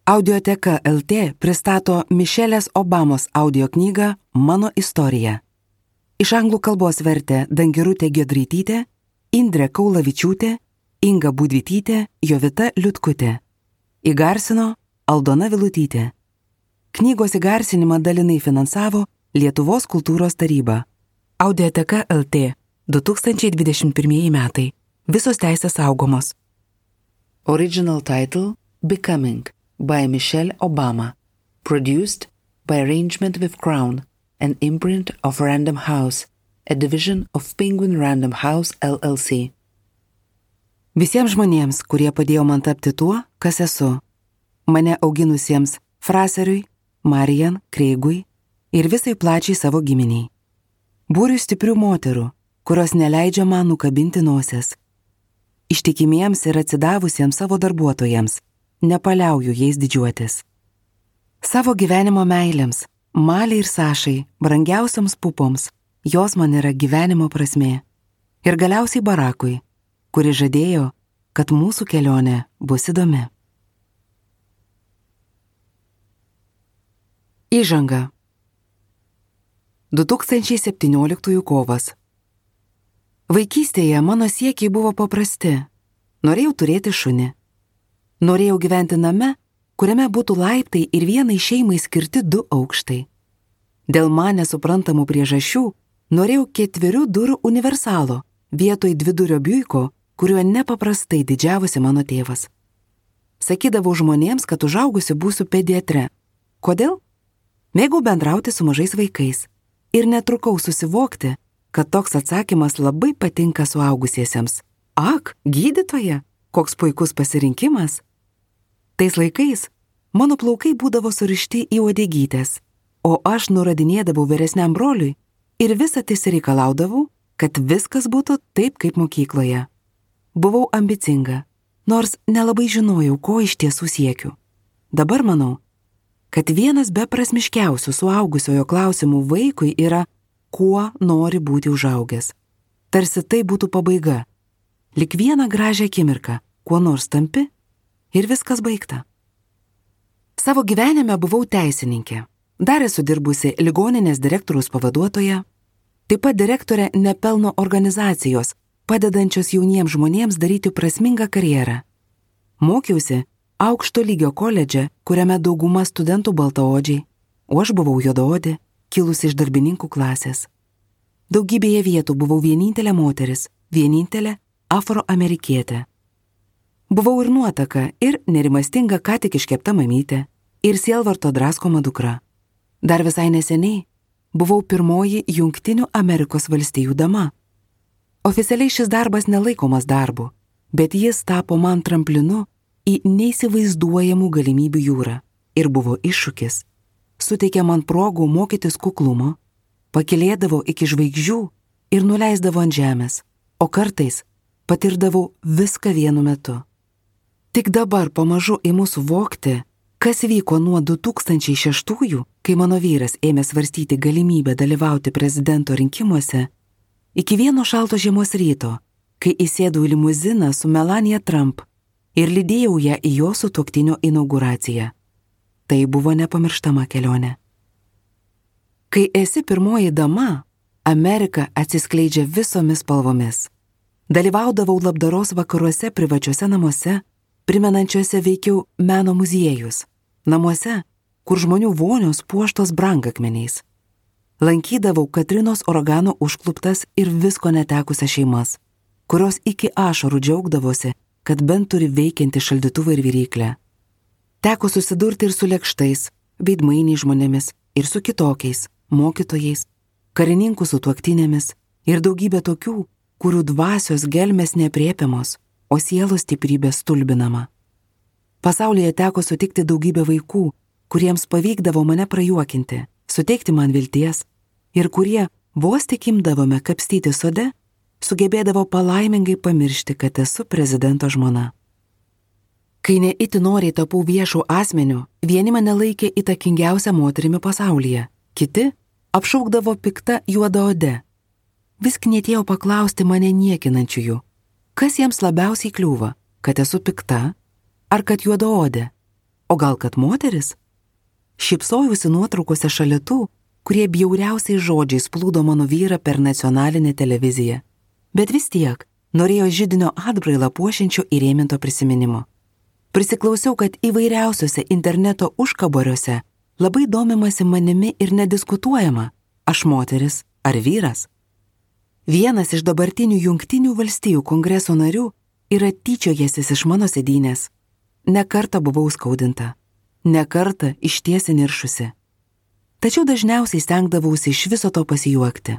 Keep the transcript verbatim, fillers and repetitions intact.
Audioteka L T pristato Mišelės Obamos audio knygą Mano istorija. Iš anglų kalbos vertė Dangirutė Giedraitytė, Indrė Kaulavičiūtė, Inga Budvytytė, Jovita Liutkutė. Įgarsino Aldona Vilutytė. Knygos įgarsinimą dalinai finansavo Lietuvos kultūros taryba. Audioteka L T du tūkstančiai dvidešimt pirmieji metai. Visos teisės saugomos. Original title Becoming by Michelle Obama. Produced by Arrangement with Crown, an imprint of Random House, a division of Penguin Random House L L C. Visiems žmonėms, kurie padėjo man tapti tuo, kas esu. Mane auginusiems Fraseriui, Marian, Kreigui ir visai plačiai savo giminiai. Būriui stiprių moterų, kurios neleidžia man nukabinti nosies. Ištikimiems ir atsidavusiems savo darbuotojams, nepaliauju jais didžiuotis. Savo gyvenimo meilėms, Maliai ir Sašai, brangiausioms pupoms, jos man yra gyvenimo prasmė. Ir galiausiai Barakui, kuri žadėjo, kad mūsų kelionė bus įdomi. Įžanga. du tūkstančiai septynioliktųjų kovas. Vaikystėje mano siekiai buvo paprasti. Norėjau turėti šunį. Norėjau gyventi name, kuriame būtų laiptai ir vienai šeimai skirti du aukštai. Dėl man nesuprantamų priežasčių norėjau ketverių durų universalo vietoj dvidurio biuiko, kuriuo nepaprastai didžiavosi mano tėvas. Sakydavau žmonėms, kad užaugusi būsiu pediatre. Kodėl? Mėgau bendrauti su mažais vaikais ir netrukau susivokti, kad toks atsakymas labai patinka suaugusiesiems. Ak, gydytoja, koks puikus pasirinkimas. Tais laikais mano plaukai būdavo surišti į uodegytes, o aš nuradinėdavau vyresniam broliui ir visą tai reikalaudavau, kad viskas būtų taip kaip mokykloje. Buvau ambicinga, nors nelabai žinojau, ko iš tiesų siekiu. Dabar manau, kad vienas beprasmiškiausių suaugusiojo klausimų vaikui yra, kuo nori būti užaugęs. Tarsi tai būtų pabaiga. Lik vieną gražią akimirką, kuo nors tampi ir viskas baigta. Savo gyvenime buvau teisininkė. Dar esu dirbusi ligoninės direktoriaus pavaduotoja, taip pat direktorė nepelno organizacijos, padedančios jauniems žmonėms daryti prasmingą karjerą. Mokiausi aukšto lygio koledže, kuriame dauguma studentų baltaodžiai, o aš buvau juodaodė, kilusi iš darbininkų klasės. Daugybėje vietų buvau vienintelė moteris, vienintelė afroamerikietė. Buvau ir nuotaka, ir nerimastinga ką tik iškepta mamytė, ir sielvarto draskoma dukra. Dar visai neseniai buvau pirmoji Jungtinių Amerikos valstijų dama. Oficialiai šis darbas nelaikomas darbu, bet jis tapo man tramplinu į neįsivaizduojamų galimybių jūrą ir buvo iššūkis. Suteikė man progų mokytis kuklumo, pakilėdavo iki žvaigždžių ir nuleisdavo ant žemės, o kartais patirdavau viską vienu metu. Tik dabar pamažu imu suvokti, kas vyko nuo du tūkstančiai šeštųjų, kai mano vyras ėmė svarstyti galimybę dalyvauti prezidento rinkimuose, iki vieno šalto žiemos ryto, kai įsėdau į limuziną su Melania Trump ir lydėjau ją į jo sutuoktinio inauguraciją. Tai buvo nepamirštama kelionė. Kai esi pirmoji dama, Amerika atsiskleidžia visomis spalvomis. Dalyvaudavau labdaros vakaruose privačiuose namuose, primenančiuose veikiau meno muziejus, namuose, kur žmonių vonios puoštos brangakmeniais. Lankydavau Katrinos uragano užkluptas ir visko netekusias šeimas, kurios iki ašarų džiaugdavosi, kad bent turi veikiantį šaldytuvą ir viryklę. Teko susidurti ir su lėkštais, veidmainiais žmonėmis, ir su kitokiais, mokytojais, karininkų sutuoktinėmis ir daugybė tokių, kurių dvasios gelmės neaprėpiamos, o sielos stiprybė stulbinama. Pasaulyje teko sutikti daugybę vaikų, kuriems pavykdavo mane prajuokinti, suteikti man vilties ir kurie, vos tik imdavome kapstyti sode, sugebėdavo palaimingai pamiršti, kad esu prezidento žmona. Kai neiti noriai tapau viešų asmenių, vieni mane laikė įtakingiausią moterimi pasaulyje, kiti apšaukdavo pikta juodaode. Vis knietėjau paklausti mane niekinančiųjų, kas jiems labiausiai kliūva, kad esu pikta ar kad juodaodė. O gal kad moteris? Šypsojausi nuotraukose šalia tų, kurie bjauriausiais žodžiais plūdo mano vyrą per nacionalinę televiziją. Bet vis tiek norėjo židinio atbrailą puošiančio įrėminto prisiminimo. Prisiklausiau, kad įvairiausiose interneto užkaboriuose labai domimasi manimi ir nediskutuojama, aš moteris ar vyras. Vienas iš dabartinių Jungtinių valstijų kongreso narių yra tyčiojęsis iš mano sėdynės. Ne kartą buvau skaudinta, ne kartą išties įniršusi. Tačiau dažniausiai stengdavausi iš viso to pasijuokti.